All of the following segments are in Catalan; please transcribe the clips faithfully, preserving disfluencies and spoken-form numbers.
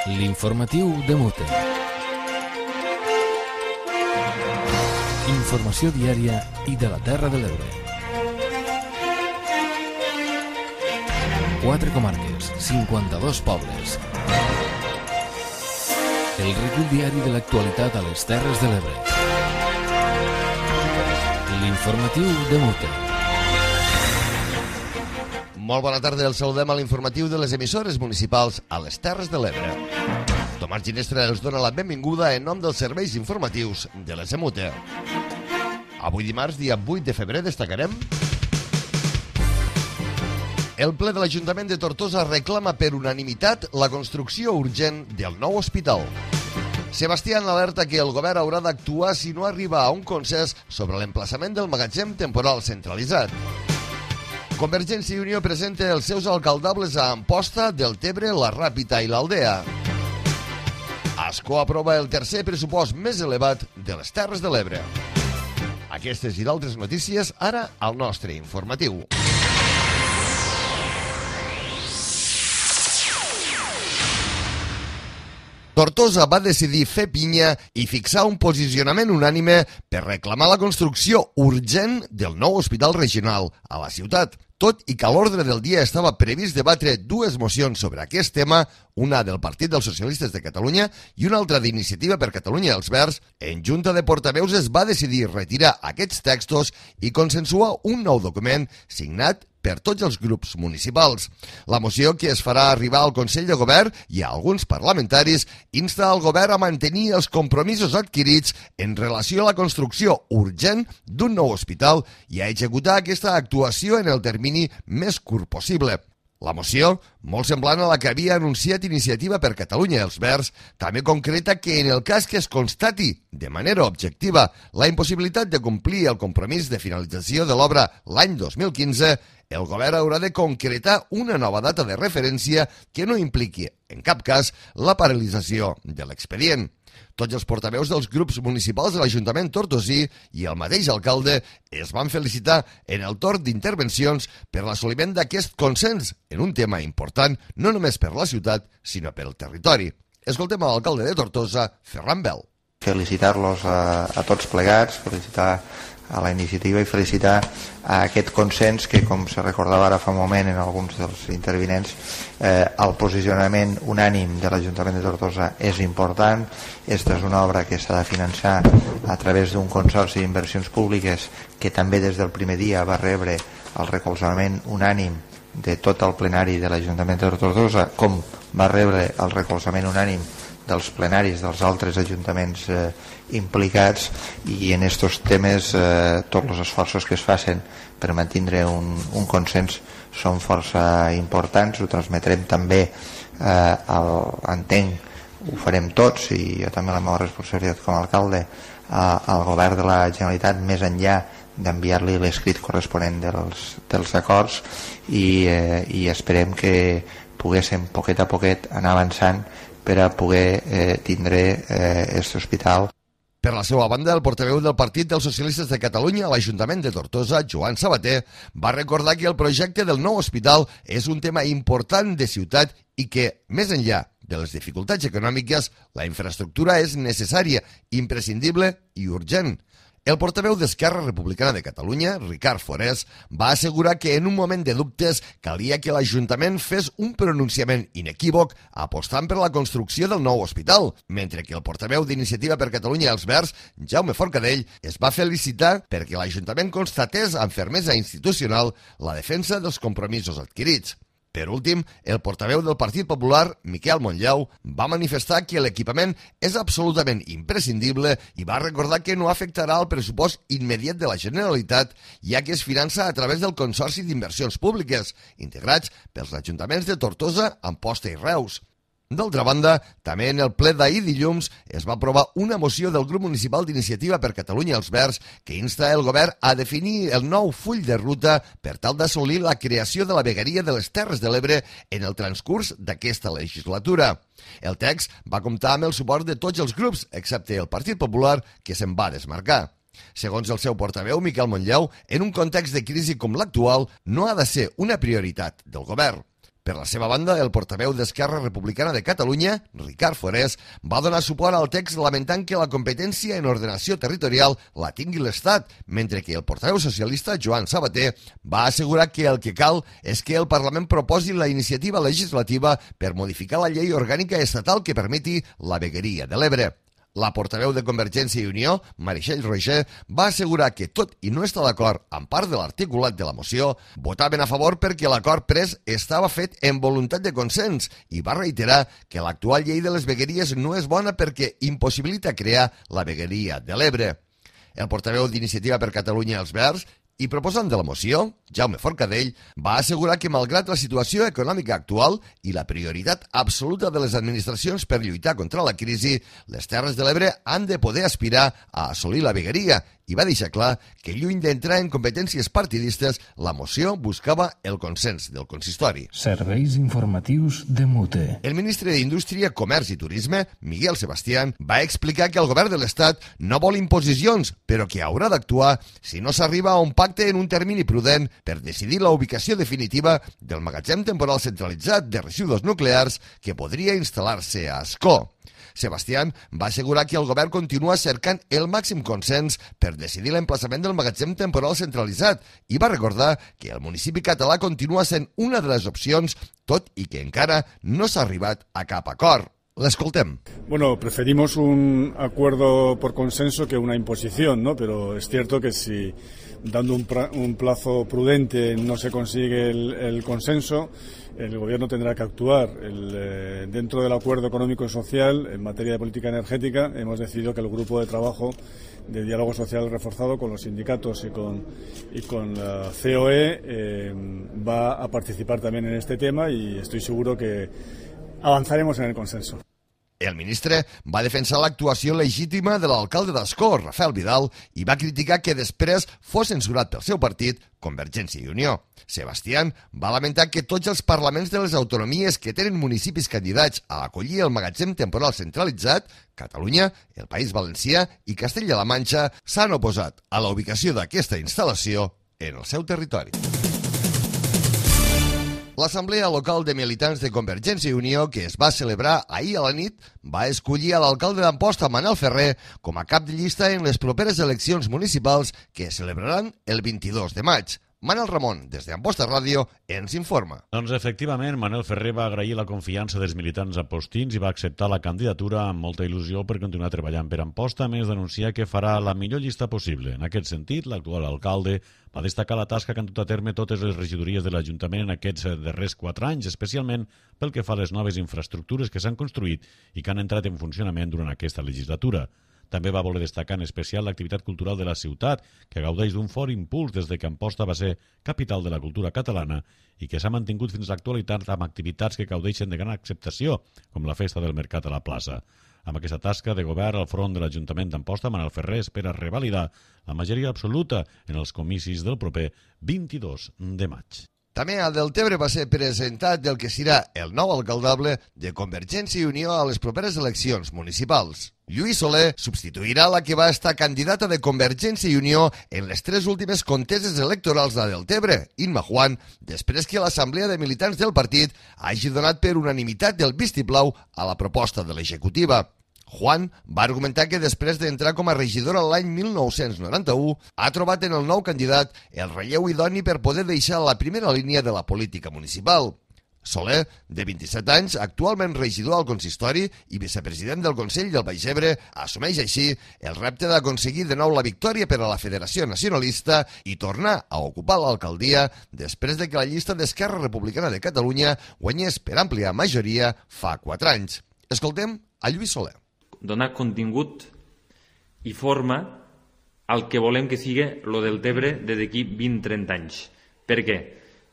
L'informatiu de Mute. Informació diària i de la Terra de l'Ebre. Quatre comarques, cinquanta-dos pobles. El recull diari de l'actualitat a les Terres de l'Ebre. L'informatiu de Mute. Molt bona tarda, el saludem a l'informatiu de les emissores municipals a les Terres de l'Ebre. Tomàs Ginestra els dona la benvinguda en nom dels serveis informatius de l'E S M U T E. Avui dimarts, dia vuit de febrer, destacarem: el ple de l'Ajuntament de Tortosa reclama per unanimitat la construcció urgent del nou hospital. Sebastián alerta que el govern haurà d'actuar si no arriba a un consens sobre l'emplaçament del magatzem temporal centralitzat. Convergència i Unió presenta els seus alcaldables a Amposta, Deltebre, La Ràpita i l'Aldea. Ascó aprova el tercer pressupost més elevat de les Terres de l'Ebre. Aquestes i d'altres notícies ara al nostre informatiu. Tortosa va decidir fer pinya i fixar un posicionament unànime per reclamar la construcció urgent del nou hospital regional a la ciutat. Tot i que a l'ordre del dia estava previst debatre dues mocions sobre aquest tema, una del Partit dels Socialistes de Catalunya i una altra d'Iniciativa per Catalunya i els Verds, en Junta de Portaveus es va decidir retirar aquests textos i consensuar un nou document signat per tots els grups municipals. La moció, que es farà arribar al Consell de Govern i a alguns parlamentaris, insta al govern a mantenir els compromisos adquirits en relació a la construcció urgent d'un nou hospital i a executar aquesta actuació en el termini més curt possible. La moció, molt semblant a la que havia anunciat Iniciativa per Catalunya i els Verds, també concreta que en el cas que es constati de manera objectiva la impossibilitat de complir el compromís de finalització de l'obra l'any dos mil quinze, el govern haurà de concretar una nova data de referència que no impliqui, en cap cas, la paralització de l'expedient. Tots els portaveus dels grups municipals de l'Ajuntament tortosí i el mateix alcalde es van felicitar en el torn d'intervencions per l'assoliment d'aquest consens en un tema important no només per la ciutat, sinó per el territori. Escoltem a l'alcalde de Tortosa, Ferran Bel. Felicitar-los a, a tots plegats, felicitar a la iniciativa i felicitar a aquest consens que, com se recordava ara fa un moment en alguns dels intervinents, eh, el posicionament unànim de l'Ajuntament de Tortosa és important. Esta és una obra que s'ha de finançar a través d'un consorci d'inversions públiques que també des del primer dia va rebre el recolzament unànim de tot el plenari de l'Ajuntament de Tortosa, com va rebre el recolzament unànim dels plenaris dels altres ajuntaments eh, implicats, i en aquests temes eh, tots els esforços que es facin per mantenir un, un consens són força importants. Ho transmetrem també, eh, al, entenc, ho farem tots, i jo també la meva responsabilitat com a alcalde, a, al govern de la Generalitat, més enllà d'enviar-li l'escrit corresponent dels, dels acords, i, eh, i esperem que poguéssim poquet a poquet anar avançant per a poder eh, tindre aquest eh, hospital. Per la seva banda, el portaveu del Partit dels Socialistes de Catalunya a l'Ajuntament de Tortosa, Joan Sabater, va recordar que el projecte del nou hospital és un tema important de ciutat i que, més enllà de les dificultats econòmiques, la infraestructura és necessària, imprescindible i urgent. El portaveu d'Esquerra Republicana de Catalunya, Ricard Forés, va assegurar que en un moment de dubtes calia que l'Ajuntament fes un pronunciament inequívoc apostant per la construcció del nou hospital, mentre que el portaveu d'Iniciativa per Catalunya i els Verds, Jaume Forcadell, es va felicitar perquè l'Ajuntament constatés amb fermesa institucional la defensa dels compromisos adquirits. Per últim, el portaveu del Partit Popular, Miquel Montllau, va manifestar que l'equipament és absolutament imprescindible i va recordar que no afectarà el pressupost immediat de la Generalitat, ja que es finança a través del Consorci d'Inversions Públiques, integrats pels ajuntaments de Tortosa, Amposta i Reus. D'altra banda, també en el ple d'ahir dilluns es va aprovar una moció del grup municipal d'Iniciativa per Catalunya i els Verds que insta el govern a definir el nou full de ruta per tal d'assolir la creació de la vegueria de les Terres de l'Ebre en el transcurs d'aquesta legislatura. El text va comptar amb el suport de tots els grups, excepte el Partit Popular, que se'n va desmarcar. Segons el seu portaveu, Miquel Montllau, en un context de crisi com l'actual, no ha de ser una prioritat del govern. Per la seva banda, el portaveu d'Esquerra Republicana de Catalunya, Ricard Forés, va donar suport al text lamentant que la competència en ordenació territorial la tingui l'Estat, mentre que el portaveu socialista, Joan Sabater, va assegurar que el que cal és que el Parlament proposi la iniciativa legislativa per modificar la llei orgànica estatal que permeti la vegueria de l'Ebre. La portaveu de Convergència i Unió, Meritxell Roigé, va assegurar que, tot i no estar d'acord amb part de l'articulat de la moció, votaven a favor perquè l'acord pres estava fet en voluntat de consens i va reiterar que l'actual llei de les vegueries no és bona perquè impossibilita crear la vegueria de l'Ebre. El portaveu d'Iniciativa per Catalunya Els Verds i proposant de la moció, Jaume Forcadell, va assegurar que malgrat la situació econòmica actual i la prioritat absoluta de les administracions per lluitar contra la crisi, les Terres de l'Ebre han de poder aspirar a assolir la vegueria i va deixar clar que, lluny d'entrar en competències partidistes, la moció buscava el consens del consistori. Serveis informatius de Mute. El ministre d'Indústria, Comerç i Turisme, Miguel Sebastián, va explicar que el govern de l'Estat no vol imposicions, però que haurà d'actuar si no s'arriba a un pacte en un termini prudent per decidir la ubicació definitiva del magatzem temporal centralitzat de residus nuclears que podria instal·lar-se a Ascó. Sebastián va assegurar que el govern continua cercant el màxim consens per decidir l'emplaçament del magatzem temporal centralitzat i va recordar que el municipi català continua sent una de les opcions, tot i que encara no s'ha arribat a cap acord. L'escoltem. Bueno, preferimos un acuerdo por consenso que una imposición, ¿no? Pero es cierto que si dando un, pra, un plazo prudente no se consigue el, el consenso, el Gobierno tendrá que actuar. El, eh, dentro del acuerdo económico y social, en materia de política energética, hemos decidido que el grupo de trabajo de diálogo social reforzado con los sindicatos y con, y con la C O E eh, va a participar también en este tema y estoy seguro que avanzaremos en el consenso. El ministre va defensar l'actuació legítima de l'alcalde d'Ascó, Rafael Vidal, i va criticar que després fos censurat pel seu partit, Convergència i Unió. Sebastián va lamentar que tots els parlaments de les autonomies que tenen municipis candidats a acollir el magatzem temporal centralitzat, Catalunya, el País Valencià i Castella-La Manxa, s'han oposat a la ubicació d'aquesta instal·lació en el seu territori. L'Assemblea Local de Militants de Convergència i Unió, que es va celebrar ahir a la nit, va escollir a l'alcalde d'Amposta, Manel Ferrer, com a cap de llista en les properes eleccions municipals que es celebraran el vint-i-dos de maig. Manel Ramon, des d'Amposta Ràdio, ens informa. Doncs efectivament, Manel Ferrer va agrair la confiança dels militants apostins i va acceptar la candidatura amb molta il·lusió per continuar treballant per Amposta, a més d'anunciar que farà la millor llista possible. En aquest sentit, l'actual alcalde va destacar la tasca que han dut a terme totes les regidories de l'Ajuntament en aquests darrers quatre anys, especialment pel que fa a les noves infraestructures que s'han construït i que han entrat en funcionament durant aquesta legislatura. També va voler destacar en especial l'activitat cultural de la ciutat, que gaudeix d'un fort impuls des de que Amposta va ser capital de la cultura catalana i que s'ha mantingut fins a l'actualitat amb activitats que gaudeixen de gran acceptació, com la Festa del Mercat a la plaça. Amb aquesta tasca de govern al front de l'Ajuntament d'Amposta, Manel Ferrer espera revalidar la majoria absoluta en els comicis del proper vint-i-dos de maig. També a Deltebre va ser presentat el que serà el nou alcaldable de Convergència i Unió a les properes eleccions municipals. Lluís Soler substituirà la que va estar candidata de Convergència i Unió en les tres últimes conteses electorals de Deltebre, Inma Juan, després que l'Assemblea de Militants del partit hagi donat per unanimitat el vistiplau a la proposta de l'executiva. Juan va argumentar que després d'entrar com a regidora l'any mil nou-cents noranta-u ha trobat en el nou candidat el relleu idoni per poder deixar la primera línia de la política municipal. Soler, de vint-i-set anys, actualment regidor al consistori i vicepresident del Consell del Baix Ebre, assumeix així el repte d'aconseguir de nou la victòria per a la Federació Nacionalista i tornar a ocupar l'alcaldia després de que la llista d'Esquerra Republicana de Catalunya guanyés per àmplia majoria fa quatre anys. Escoltem a Lluís Soler. Donar contingut i forma al que volem que sigui lo del Tebre de d'aquí vint a trenta anys. Per què?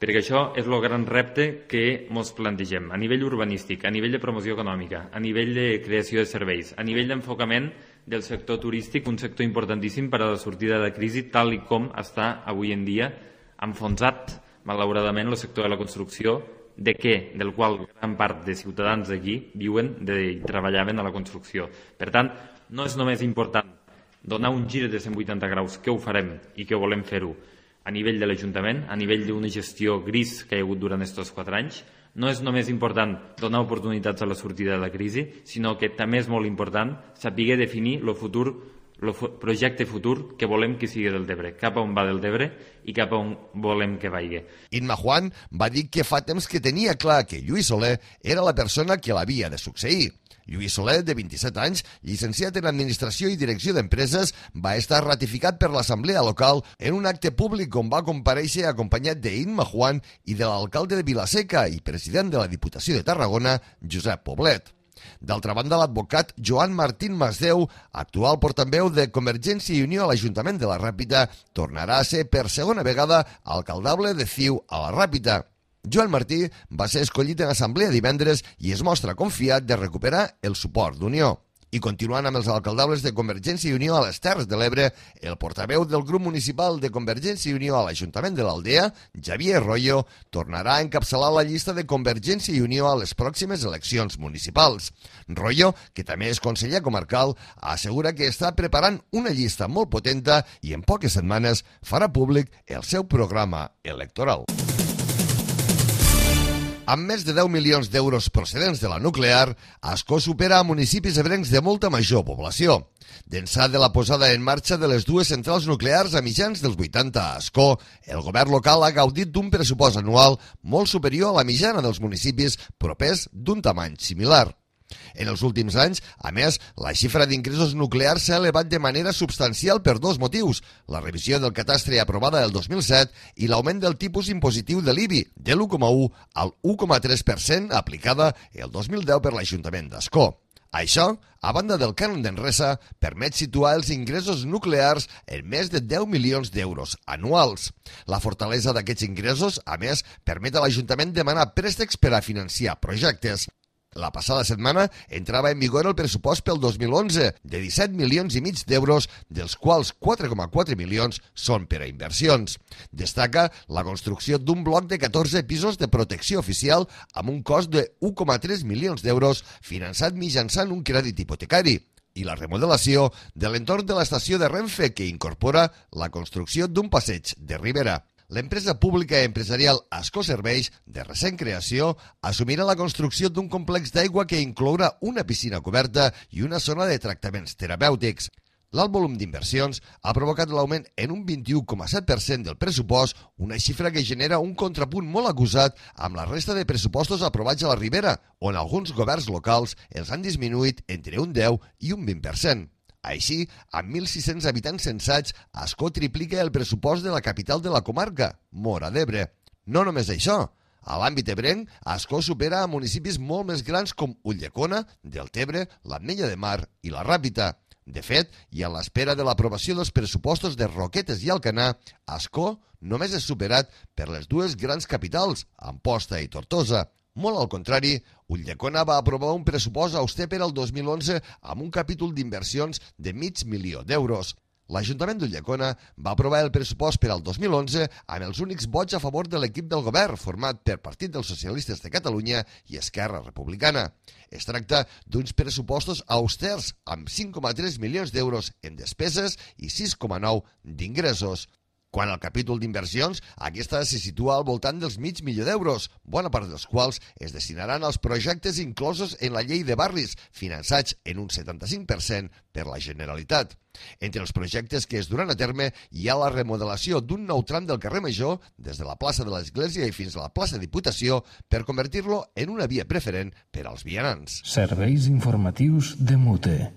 Perquè això és el gran repte que ens plantegem a nivell urbanístic, a nivell de promoció econòmica, a nivell de creació de serveis, a nivell d'enfocament del sector turístic, un sector importantíssim per a la sortida de la crisi, tal i com està avui en dia enfonsat, malauradament, el sector de la construcció, de què? Del qual gran part de ciutadans d'aquí viuen i treballaven a la construcció. Per tant, no és només important donar un gir de cent vuitanta graus, que ho farem i que volem fer-ho a nivell de l'Ajuntament, a nivell d'una gestió gris que hi ha hagut durant aquests quatre anys, no és només important donar oportunitats a la sortida de la crisi, sinó que també és molt important saber definir el futur, el projecte futur que volem que sigui del Tebre, cap a on va del Tebre i cap a on volem que vagi. Imma Juan va dir que fa temps que tenia clar que Lluís Soler era la persona que l'havia de succeir. Lluís Soler, de vint-i-set anys, llicenciat en Administració i Direcció d'Empreses, va estar ratificat per l'Assemblea Local en un acte públic on va comparèixer acompanyat d'Imma Juan i de l'alcalde de Vilaseca i president de la Diputació de Tarragona, Josep Poblet. D'altra banda, l'advocat Joan Martín Masdeu, actual portaveu de Convergència i Unió a l'Ajuntament de la Ràpita, tornarà a ser per segona vegada alcaldable de C I U a la Ràpita. Joan Martí va ser escollit en assemblea divendres i es mostra confiat de recuperar el suport d'Unió. I continuant amb els alcaldables de Convergència i Unió a les Terres de l'Ebre, el portaveu del grup municipal de Convergència i Unió a l'Ajuntament de l'Aldea, Xavier Royo, tornarà a encapçalar la llista de Convergència i Unió a les pròximes eleccions municipals. Royo, que també és conseller comarcal, assegura que està preparant una llista molt potenta i en poques setmanes farà públic el seu programa electoral. Amb més de deu milions d'euros procedents de la nuclear, Ascó supera a municipis ebrencs de molta major població. D'ençà de la posada en marxa de les dues centrals nuclears a mitjans dels vuitanta a Ascó, el govern local ha gaudit d'un pressupost anual molt superior a la mitjana dels municipis propers d'un tamany similar. En els últims anys, a més, la xifra d'ingressos nuclears s'ha elevat de manera substancial per dos motius: la revisió del catastre aprovada el dos mil set i l'augment del tipus impositiu de l'I B I de l'u coma u al u coma tres per cent aplicada el dos mil deu per l'Ajuntament d'Ascó. Això, a banda del cànon d'Enresa, permet situar els ingressos nuclears en més de deu milions d'euros anuals. La fortalesa d'aquests ingressos, a més, permet a l'Ajuntament demanar préstecs per a financiar projectes. La passada setmana entrava en vigor el pressupost pel dos mil onze, de disset milions i mig d'euros, dels quals quatre coma quatre milions són per a inversions. Destaca la construcció d'un bloc de catorze pisos de protecció oficial amb un cost de u coma tres milions d'euros finançat mitjançant un crèdit hipotecari i la remodelació de l'entorn de l'estació de Renfe, que incorpora la construcció d'un passeig de Ribera. L'empresa pública i empresarial Ascó Serveis, de recent creació, assumirà la construcció d'un complex d'aigua que inclourà una piscina coberta i una zona de tractaments terapèutics. L'alt volum d'inversions ha provocat l'augment en un vint-i-u coma set per cent del pressupost, una xifra que genera un contrapunt molt acusat amb la resta de pressupostos aprovats a la Ribera, on alguns governs locals els han disminuït entre un deu i un vint per cent. Així, amb mil sis-cents habitants censats, Ascó triplica el pressupost de la capital de la comarca, Móra d'Ebre. No només això. A l'àmbit ebrenc, Ascó supera a municipis molt més grans com Ulldecona, Deltebre, l'Ametlla de Mar i la Ràpita. De fet, i a l'espera de l'aprovació dels pressupostos de Roquetes i Alcanar, Ascó només és superat per les dues grans capitals, Amposta i Tortosa. Molt al contrari, Ulldecona va aprovar un pressupost auster per al dos mil onze amb un capítol d'inversions de mig milió d'euros. L'Ajuntament d'Ulldecona va aprovar el pressupost per al dos mil onze amb els únics vots a favor de l'equip del govern format per Partit dels Socialistes de Catalunya i Esquerra Republicana. Es tracta d'uns pressupostos austers amb cinc coma tres milions d'euros en despeses i sis coma nou d'ingressos. Quant al capítol d'inversions, aquesta se situa al voltant dels mig milió d'euros, bona part dels quals es destinaran als projectes inclosos en la llei de barris, finançats en un setanta-cinc per cent per la Generalitat. Entre els projectes que es duran a terme hi ha la remodelació d'un nou tram del carrer Major des de la plaça de l'Església i fins a la plaça Diputació per convertir-lo en una via preferent per als vianants. Serveis informatius de Mute.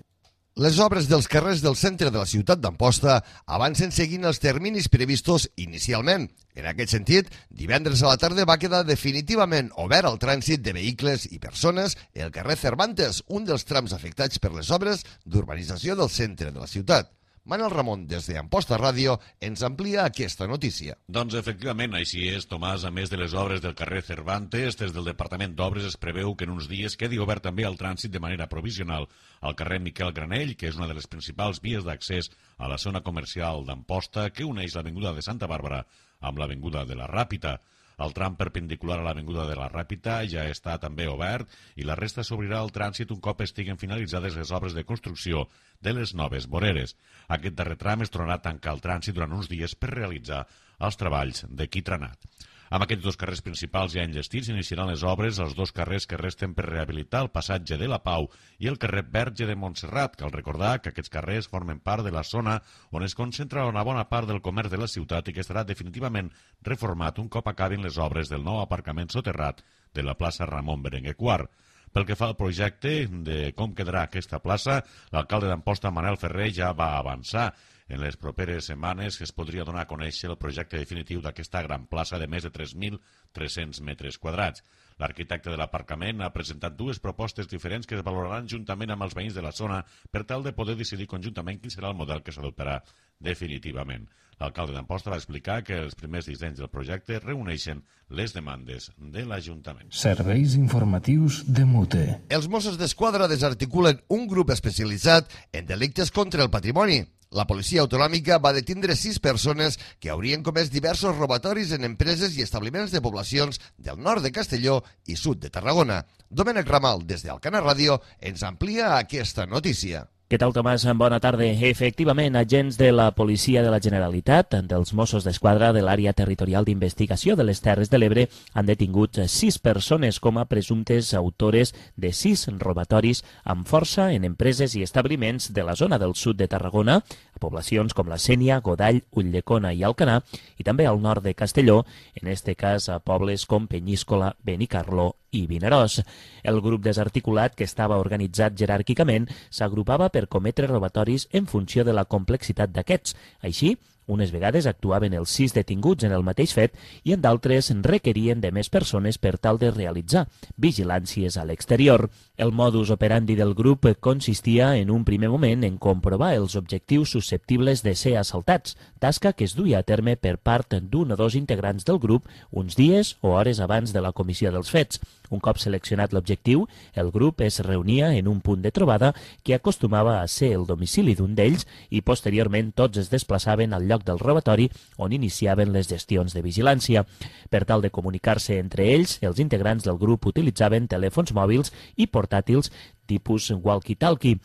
Les obres dels carrers del centre de la ciutat d'Amposta avancen seguint els terminis previstos inicialment. En aquest sentit, divendres a la tarda va quedar definitivament obert al trànsit de vehicles i persones el carrer Cervantes, un dels trams afectats per les obres d'urbanització del centre de la ciutat. Manel Ramon, des d'Amposta Ràdio, ens amplia aquesta notícia. Doncs efectivament, així és, Tomàs. A més de les obres del carrer Cervantes, des del Departament d'Obres es preveu que en uns dies quedi obert també el trànsit de manera provisional al carrer Miquel Granell, que és una de les principals vies d'accés a la zona comercial d'Amposta, que uneix l'avinguda de Santa Bàrbara amb l'avinguda de la Ràpita. El tram perpendicular a l'avinguda de la Ràpita ja està també obert i la resta s'obrirà al trànsit un cop estiguen finalitzades les obres de construcció de les noves voreres. Aquest darrer tram es tornarà a tancar el trànsit durant uns dies per realitzar els treballs de quitranat. Amb aquests dos carrers principals ja enllestits iniciaran les obres als dos carrers que resten per rehabilitar, el passatge de la Pau i el carrer Verge de Montserrat. Cal recordar que aquests carrers formen part de la zona on es concentra una bona part del comerç de la ciutat i que estarà definitivament reformat un cop acabin les obres del nou aparcament soterrat de la plaça Ramon Berenguer quart. Pel que fa al projecte de com quedarà aquesta plaça, l'alcalde d'Amposta, Manel Ferrer, ja va avançar. En les properes setmanes es podria donar a conèixer el projecte definitiu d'aquesta gran plaça de més de tres mil tres-cents metres quadrats. L'arquitecte de l'aparcament ha presentat dues propostes diferents que es valoraran juntament amb els veïns de la zona per tal de poder decidir conjuntament quin serà el model que s'adoptarà definitivament. L'alcalde d'Amposta va explicar que els primers dissenys del projecte reuneixen les demandes de l'Ajuntament. Serveis informatius de Mute. Els Mossos d'Esquadra desarticulen un grup especialitzat en delictes contra el patrimoni. La policia autonòmica va detindre sis persones que haurien comès diversos robatoris en empreses i establiments de poblacions del nord de Castelló i sud de Tarragona. Domènec Ramal, des d'Alcana Ràdio, ens amplia aquesta notícia. Què tal, Tomàs? Bona tarda. Efectivament, agents de la Policia de la Generalitat, dels Mossos d'Esquadra de l'Àrea Territorial d'Investigació de les Terres de l'Ebre, han detingut sis persones com a presumptes autores de sis robatoris amb força en empreses i establiments de la zona del sud de Tarragona, a poblacions com la Sénia, Godall, Ulldecona i Alcanar, i també al nord de Castelló, en este cas a pobles com Penyíscola, Benicarló i Vinaròs. El grup desarticulat, que estava organitzat jeràrquicament, s'agrupava per cometre robatoris en funció de la complexitat d'aquests. Així, unes vegades actuaven els sis detinguts en el mateix fet i en d'altres requerien de més persones per tal de realitzar vigilàncies a l'exterior. El modus operandi del grup consistia en un primer moment en comprovar els objectius susceptibles de ser assaltats, tasca que es duia a terme per part d'un o dos integrants del grup uns dies o hores abans de la comissió dels fets. Un cop seleccionat l'objectiu, el grup es reunia en un punt de trobada que acostumava a ser el domicili d'un d'ells i posteriorment tots es desplaçaven al lloc del robatori on iniciaven les gestions de vigilància. Per tal de comunicar-se entre ells, els integrants del grup utilitzaven telèfons mòbils i portàtils tipus walkie-talkie.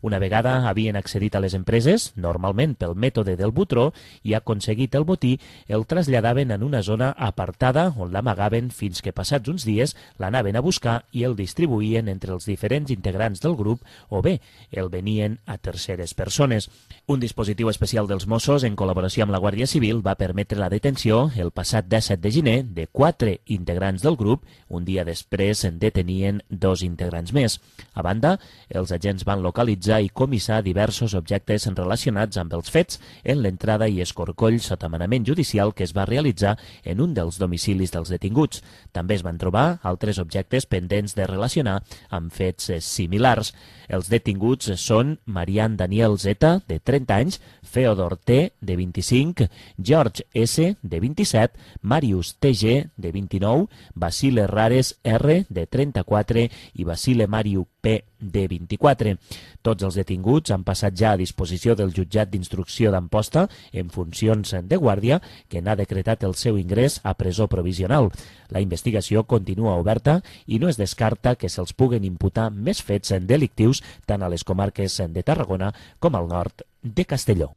Una vegada havien accedit a les empreses, normalment pel mètode del butró, i aconseguit el botí, el traslladaven en una zona apartada on l'amagaven fins que passats uns dies l'anaven a buscar i el distribuïen entre els diferents integrants del grup o bé el venien a terceres persones. Un dispositiu especial dels Mossos, en col·laboració amb la Guàrdia Civil, va permetre la detenció el passat disset de gener de quatre integrants del grup. Un dia després en detenien dos integrants més. A banda, els agents van localitzar i comissar diversos objectes relacionats amb els fets en l'entrada i escorcoll sota manament judicial que es va realitzar en un dels domicilis dels detinguts. També es van trobar altres objectes pendents de relacionar amb fets similars. Els detinguts són Marian Daniel Zeta, de trenta anys, Feodor T, de vint-i-cinc, George S, de vint-i-set, Marius T G, de vint-i-nou, Basile Rares R, de trenta-quatre i Basile Mariu P, de vint-i-quatre. Tots els detinguts han passat ja a disposició del jutjat d'instrucció d'Amposta en funcions de guàrdia, que n'ha decretat el seu ingrés a presó provisional. La investigació continua oberta i no es descarta que se'ls puguen imputar més fets delictius tant a les comarques de Tarragona com al nord de Castelló.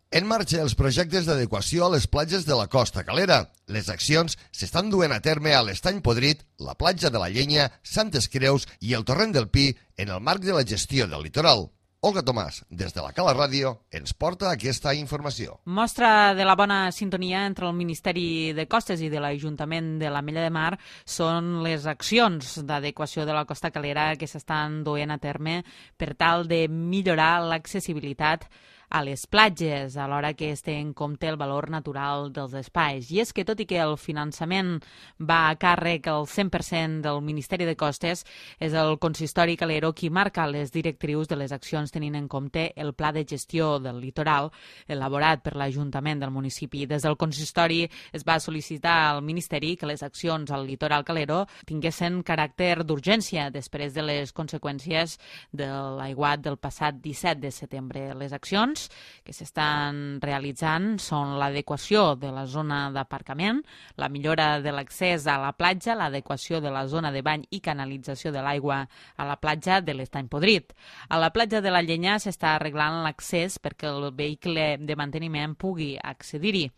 En marxa els projectes d'adequació a les platges de la Costa Calera. Les accions s'estan duent a terme a l'Estany Podrit, la platja de la Llenya, Santes Creus i el Torrent del Pi en el marc de la gestió del litoral. Olga Tomàs, des de la Cala Ràdio, ens porta aquesta informació. Mostra de la bona sintonia entre el Ministeri de Costes i de l'Ajuntament de l'Ametlla de Mar són les accions d'adequació de la Costa Calera que s'estan duent a terme per tal de millorar l'accessibilitat a les platges, alhora que es té en compte el valor natural dels espais. I és que, tot i que el finançament va a càrrec al cent per cent del Ministeri de Costes, és el consistori calero qui marca les directrius de les accions tenint en compte el pla de gestió del litoral elaborat per l'Ajuntament del municipi. Des del consistori es va sol·licitar al Ministeri que les accions al litoral calero tinguessin caràcter d'urgència després de les conseqüències de l'aiguat del passat disset de setembre. Les accions accions que s'estan realitzant són l'adequació de la zona d'aparcament, la millora de l'accés a la platja, l'adequació de la zona de bany i canalització de l'aigua a la platja de l'Estany Podrit. A la platja de la Llenya s'està arreglant l'accés perquè el vehicle de manteniment pugui accedir-hi.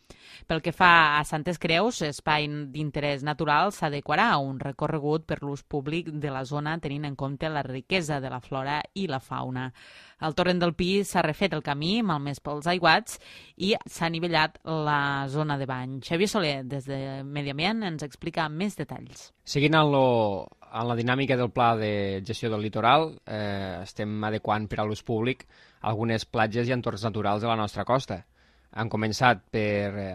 Pel que fa a Santes Creus, espai d'interès natural, s'adequarà a un recorregut per l'ús públic de la zona tenint en compte la riquesa de la flora i la fauna. Al torrent del Pi s'ha refet el camí, malmès pels aiguats, i s'ha nivellat la zona de bany. Xavier Soler, des de Medi Ambient, ens explica més detalls. Seguint en, lo, en la dinàmica del pla de gestió del litoral, eh, estem adequant per a l'ús públic algunes platges i entorns naturals de la nostra costa. Han començat per, eh,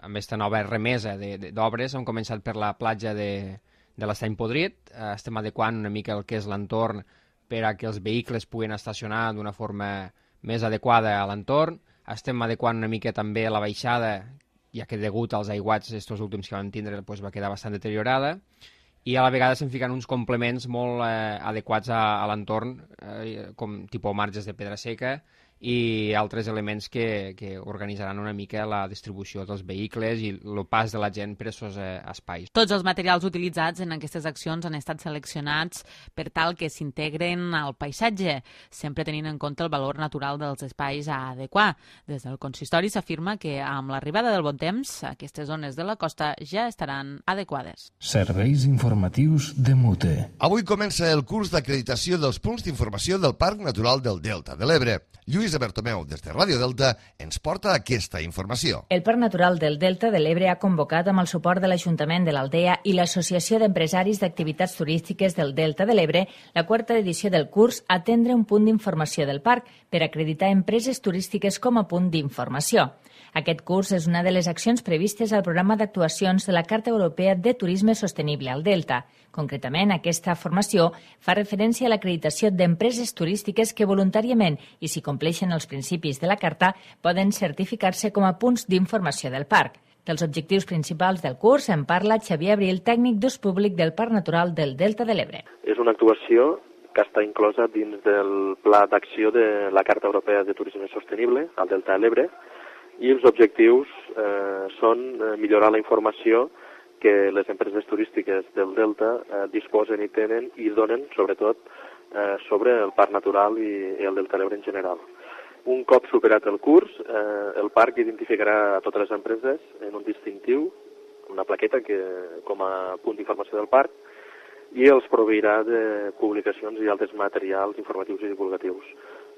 amb aquesta nova remesa d'obres, hem començat per la platja de, de l'Estany Podrit, eh, estem adequant una mica el que és l'entorn per a que els vehicles puguin estacionar d'una forma més adequada a l'entorn, estem adequant una mica també la baixada, ja que degut als aiguats estos últims que vam tindre pues, va quedar bastant deteriorada, i a la vegada estem ficant uns complements molt eh, adequats a, a l'entorn, eh, com tipus marges de pedra seca, i altres elements que, que organitzaran una mica la distribució dels vehicles i el pas de la gent per aquests eh, espais. Tots els materials utilitzats en aquestes accions han estat seleccionats per tal que s'integren al paisatge, sempre tenint en compte el valor natural dels espais a adequar. Des del consistori s'afirma que amb l'arribada del bon temps, aquestes zones de la costa ja estaran adequades. Serveis informatius de Mute. Avui comença el curs d'acreditació dels punts d'informació del Parc Natural del Delta de l'Ebre. Lluís Bertomeu, des de Ràdio Delta, ens porta aquesta informació. El Parc Natural del Delta de l'Ebre ha convocat amb el suport de l'Ajuntament de l'Aldea i l'Associació d'Empresaris d'Activitats Turístiques del Delta de l'Ebre la quarta edició del curs Atendre un punt d'informació del parc per acreditar empreses turístiques com a punt d'informació. Aquest curs és una de les accions previstes al programa d'actuacions de la Carta Europea de Turisme Sostenible al Delta. Concretament, aquesta formació fa referència a l'acreditació d'empreses turístiques que voluntàriament, i si compleixen els principis de la Carta, poden certificar-se com a punts d'informació del parc. Dels objectius principals del curs en parla Xavier Abril, tècnic d'ús públic del Parc Natural del Delta de l'Ebre. És una actuació que està inclosa dins del pla d'acció de la Carta Europea de Turisme Sostenible al Delta de l'Ebre, i els objectius eh, són eh, millorar la informació que les empreses turístiques del Delta eh, disposen i tenen i donen, sobretot, eh, sobre el parc natural i, i el Delta de l'Ebre en general. Un cop superat el curs, eh, el parc identificarà a totes les empreses en un distintiu, una plaqueta que, com a punt d'informació del parc, i els proveirà de publicacions i altres materials informatius i divulgatius.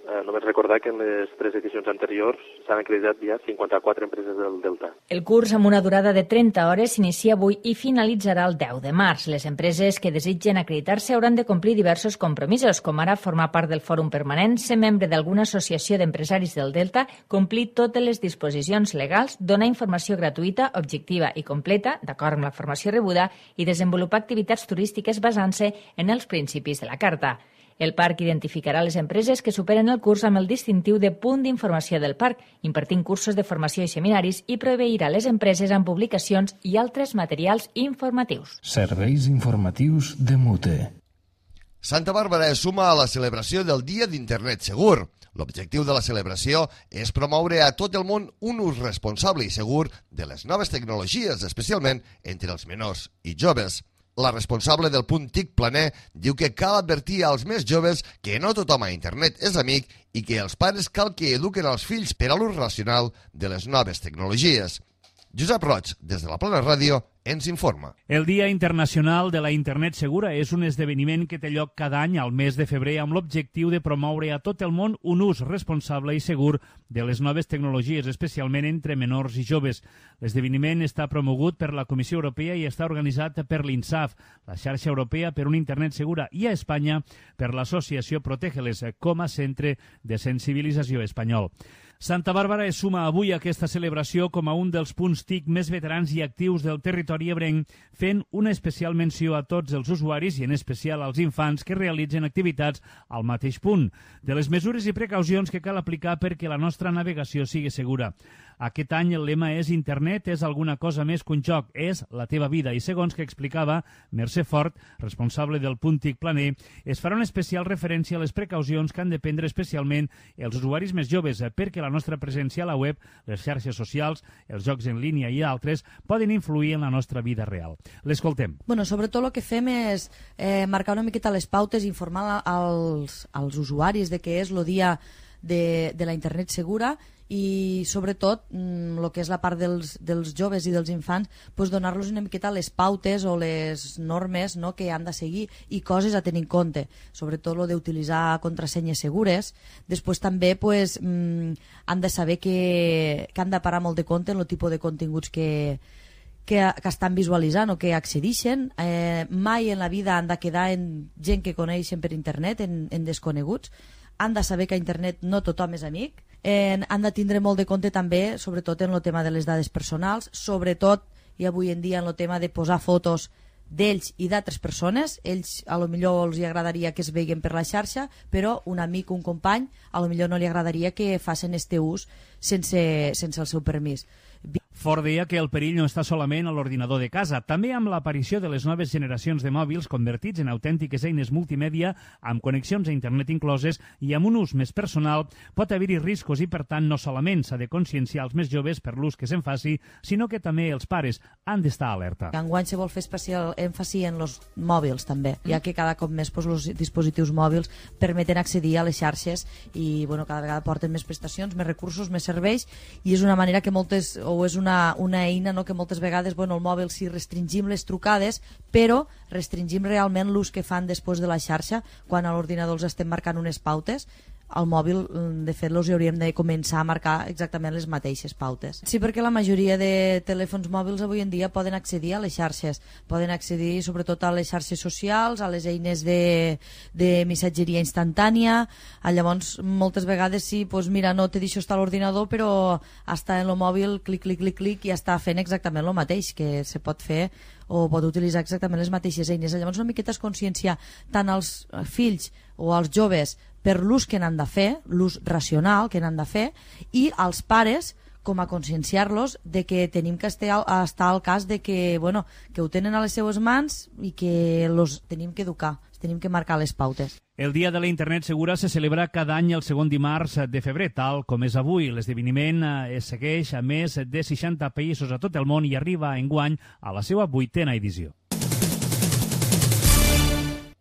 Eh, només recordar que en les tres edicions anteriors s'han acreditat ja cinquanta-quatre empreses del Delta. El curs, amb una durada de trenta hores, s'inicia avui i finalitzarà el deu de març. Les empreses que desitgen acreditar-se hauran de complir diversos compromisos, com ara formar part del fòrum permanent, ser membre d'alguna associació d'empresaris del Delta, complir totes les disposicions legals, donar informació gratuïta, objectiva i completa, d'acord amb la formació rebuda, i desenvolupar activitats turístiques basant-se en els principis de la Carta. El parc identificarà les empreses que superen el curs amb el distintiu de punt d'informació del parc, impartint cursos de formació i seminaris, i proveirà les empreses amb publicacions i altres materials informatius. Serveis informatius de Mute. Santa Bàrbara es suma a la celebració del Dia d'Internet Segur. L'objectiu de la celebració és promoure a tot el món un ús responsable i segur de les noves tecnologies, especialment entre els menors i joves. La responsable del punt TIC Planer diu que cal advertir als més joves que no tothom a internet és amic i que els pares cal que eduquen els fills per a l'ús racional de les noves tecnologies. Josep Roig, des de la Plana Ràdio, ens informa. El Dia Internacional de la Internet Segura és un esdeveniment que té lloc cada any al mes de febrer amb l'objectiu de promoure a tot el món un ús responsable i segur de les noves tecnologies, especialment entre menors i joves. L'esdeveniment està promogut per la Comissió Europea i està organitzat per l'INSAF, la xarxa europea per una Internet segura, i a Espanya per l'associació Protégeles com a centre de sensibilització espanyol. Santa Bàrbara es suma avui a aquesta celebració com a un dels punts T I C més veterans i actius del territori ebrenc, fent una especial menció a tots els usuaris i en especial als infants que realitzen activitats al mateix punt, de les mesures i precaucions que cal aplicar perquè la nostra navegació sigui segura. Aquest any el lema és Internet és alguna cosa més que un joc, és la teva vida, i segons que explicava Mercè Fort, responsable del punt T I C Planer, es farà una especial referència a les precaucions que han de prendre especialment els usuaris més joves, perquè la nostra presència a la web, les xarxes socials, els jocs en línia i altres poden influir en la nostra vida real. L'escoltem. Bueno, sobretot el que fem és eh, marcar una miqueta les pautes i informar als, als usuaris de què és el dia de, de la internet segura i sobretot el que és la part dels, dels joves i dels infants, pues, donar-los una miqueta les pautes o les normes, no?, que han de seguir i coses a tenir en compte, sobretot el d'utilitzar contrasenyes segures. Després també pues, mm, han de saber que, que han de parar molt de compte en el tipus de continguts que, que, que estan visualitzant o que accedixen. Eh, mai en la vida han de quedar en gent que coneixen per internet, en, en desconeguts. Han de saber que a internet no tothom és amic. Eh, han de tindre molt de compte també, sobretot en el tema de les dades personals, sobretot i avui en dia en el tema de posar fotos d'ells i d'altres persones. Ells a lo millor els agradaria que es veien per la xarxa, però un amic, un company, a lo millor no li agradaria que facin este ús sense, sense el seu permís. Fort deia que el perill no està solament a l'ordinador de casa. També amb l'aparició de les noves generacions de mòbils convertits en autèntiques eines multimèdia amb connexions a internet incloses i amb un ús més personal pot haver-hi riscos i, per tant, no solament s'ha de conscienciar els més joves per l'ús que se'n faci, sinó que també els pares han d'estar alerta. Enguany se vol fer especial èmfasi en els mòbils també, ja que cada cop més pues, els dispositius mòbils permeten accedir a les xarxes i bueno, cada vegada porten més prestacions, més recursos, més serveis, i és una manera que moltes, o és una Una, una eina no, que moltes vegades bueno, el mòbil sí restringim les trucades, però restringim realment l'ús que fan després de la xarxa. Quan a l'ordinador els estem marcant unes pautes, al mòbil, de fet, els hauríem de començar a marcar exactament les mateixes pautes. Sí, perquè la majoria de telèfons mòbils avui en dia poden accedir a les xarxes, poden accedir sobretot a les xarxes socials, a les eines de, de missatgeria instantània. Llavors, moltes vegades sí, doncs mira, no te deixo estar a l'ordinador, però està en el mòbil, clic, clic, clic, clic, i està fent exactament el mateix, que se pot fer o pot utilitzar exactament les mateixes eines. Llavors, una miqueta es conscienciar tant als fills o als joves per l'ús que n'han de fer, l'ús racional que n'han de fer, i als pares com a conscienciar-los de que tenim que estar, estar al cas de que, bueno, que ho tenen a les seues mans i que los tenim que educar, tenim que marcar les pautes. El Dia de la Internet Segura se celebra cada any el segon dimarts de febrer, tal com és avui. L'esdeveniment es segueix a més de seixanta països a tot el món i arriba enguany a la seva vuitena edició.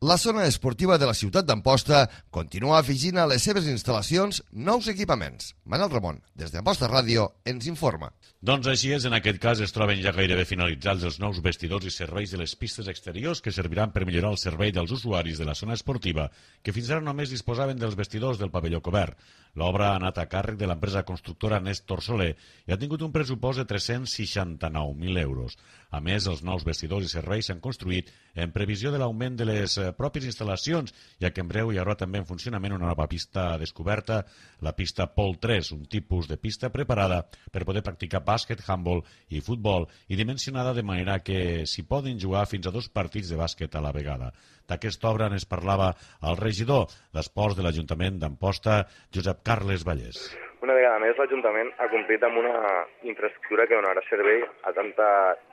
La zona esportiva de la ciutat d'Amposta continua afegint a les seves instal·lacions nous equipaments. Manel Ramon, des d'Amposta Ràdio, ens informa. Doncs així és, en aquest cas es troben ja gairebé finalitzats els nous vestidors i serveis de les pistes exteriors que serviran per millorar el servei dels usuaris de la zona esportiva, que fins ara només disposaven dels vestidors del pavelló cobert. L'obra ha anat a càrrec de l'empresa constructora Néstor Soler i ha tingut un pressupost de tres-cents seixanta-nou mil euros. A més, els nous vestidors i serveis s'han construït en previsió de l'augment de les pròpies instal·lacions, ja que en breu hi haurà també en funcionament una nova pista descoberta, la pista Pol tres, un tipus de pista preparada per poder practicar bàsquet, handball i futbol i dimensionada de manera que s'hi poden jugar fins a dos partits de bàsquet a la vegada. D'aquesta obra ens parlava el regidor d'Esports de l'Ajuntament d'Amposta, Josep Carles Vallès. Una vegada més, l'Ajuntament ha complit amb una infraestructura que donarà servei a tanta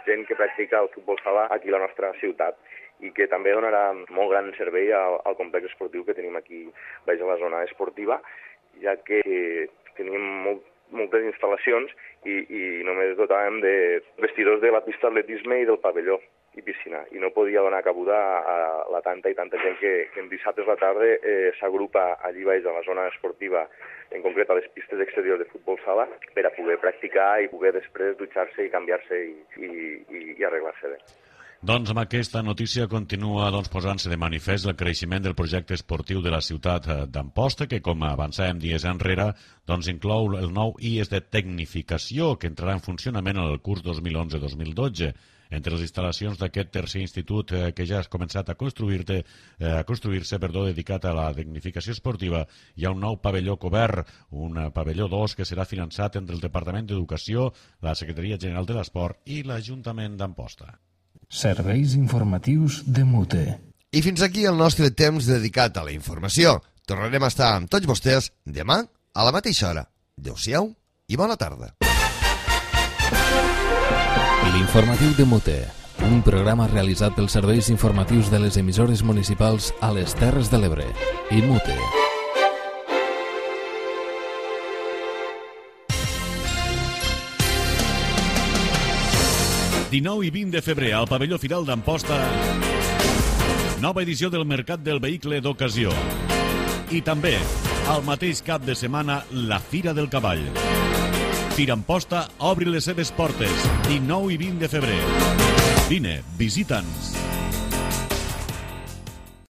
gent que practica el futbol sala aquí a la nostra ciutat i que també donarà molt gran servei al, al complex esportiu que tenim aquí baix a la zona esportiva, ja que tenim molt, moltes instal·lacions i, i només dotàvem de vestidors de la pista d'atletisme i del pavelló i piscina, i no podia donar cabuda a la tanta i tanta gent que, que en dissabtes a la tarda eh, s'agrupa allí baix a la zona esportiva, en concret a les pistes exteriors de futbol sala, per a poder practicar i poder després dutxar-se i canviar-se i, i, i, i arreglar-se bé. Doncs amb aquesta notícia continua doncs, posant-se de manifest el creixement del projecte esportiu de la ciutat d'Amposta, que, com avançàvem dies enrere, doncs, inclou el nou I E S de tecnificació que entrarà en funcionament en el curs dos mil onze dos mil dotze. Entre les instal·lacions d'aquest tercer institut eh, que ja ha començat a construir-se, eh, a construir-se, perdó, dedicat a la dignificació esportiva, hi ha un nou pavelló cobert, un pavelló dos que serà finançat entre el Departament d'Educació, la Secretaria General de l'Esport i l'Ajuntament d'Amposta. Serveis informatius de Mute. I fins aquí el nostre temps dedicat a la informació. Tornarem a estar amb tots vostès demà a la mateixa hora. Adéu-siau i bona tarda. L'informatiu de Mute, un programa realitzat pels serveis informatius de les emissores municipals a les Terres de l'Ebre i Mute. dinou i vint de febrer al pavelló Firal d'Amposta, nova edició del Mercat del Vehicle d'Ocasió. I també, al mateix cap de setmana, la Fira del Cavall. Fira Amposta obri les seves portes, dinou i vint de febrer. Vine, visita'ns.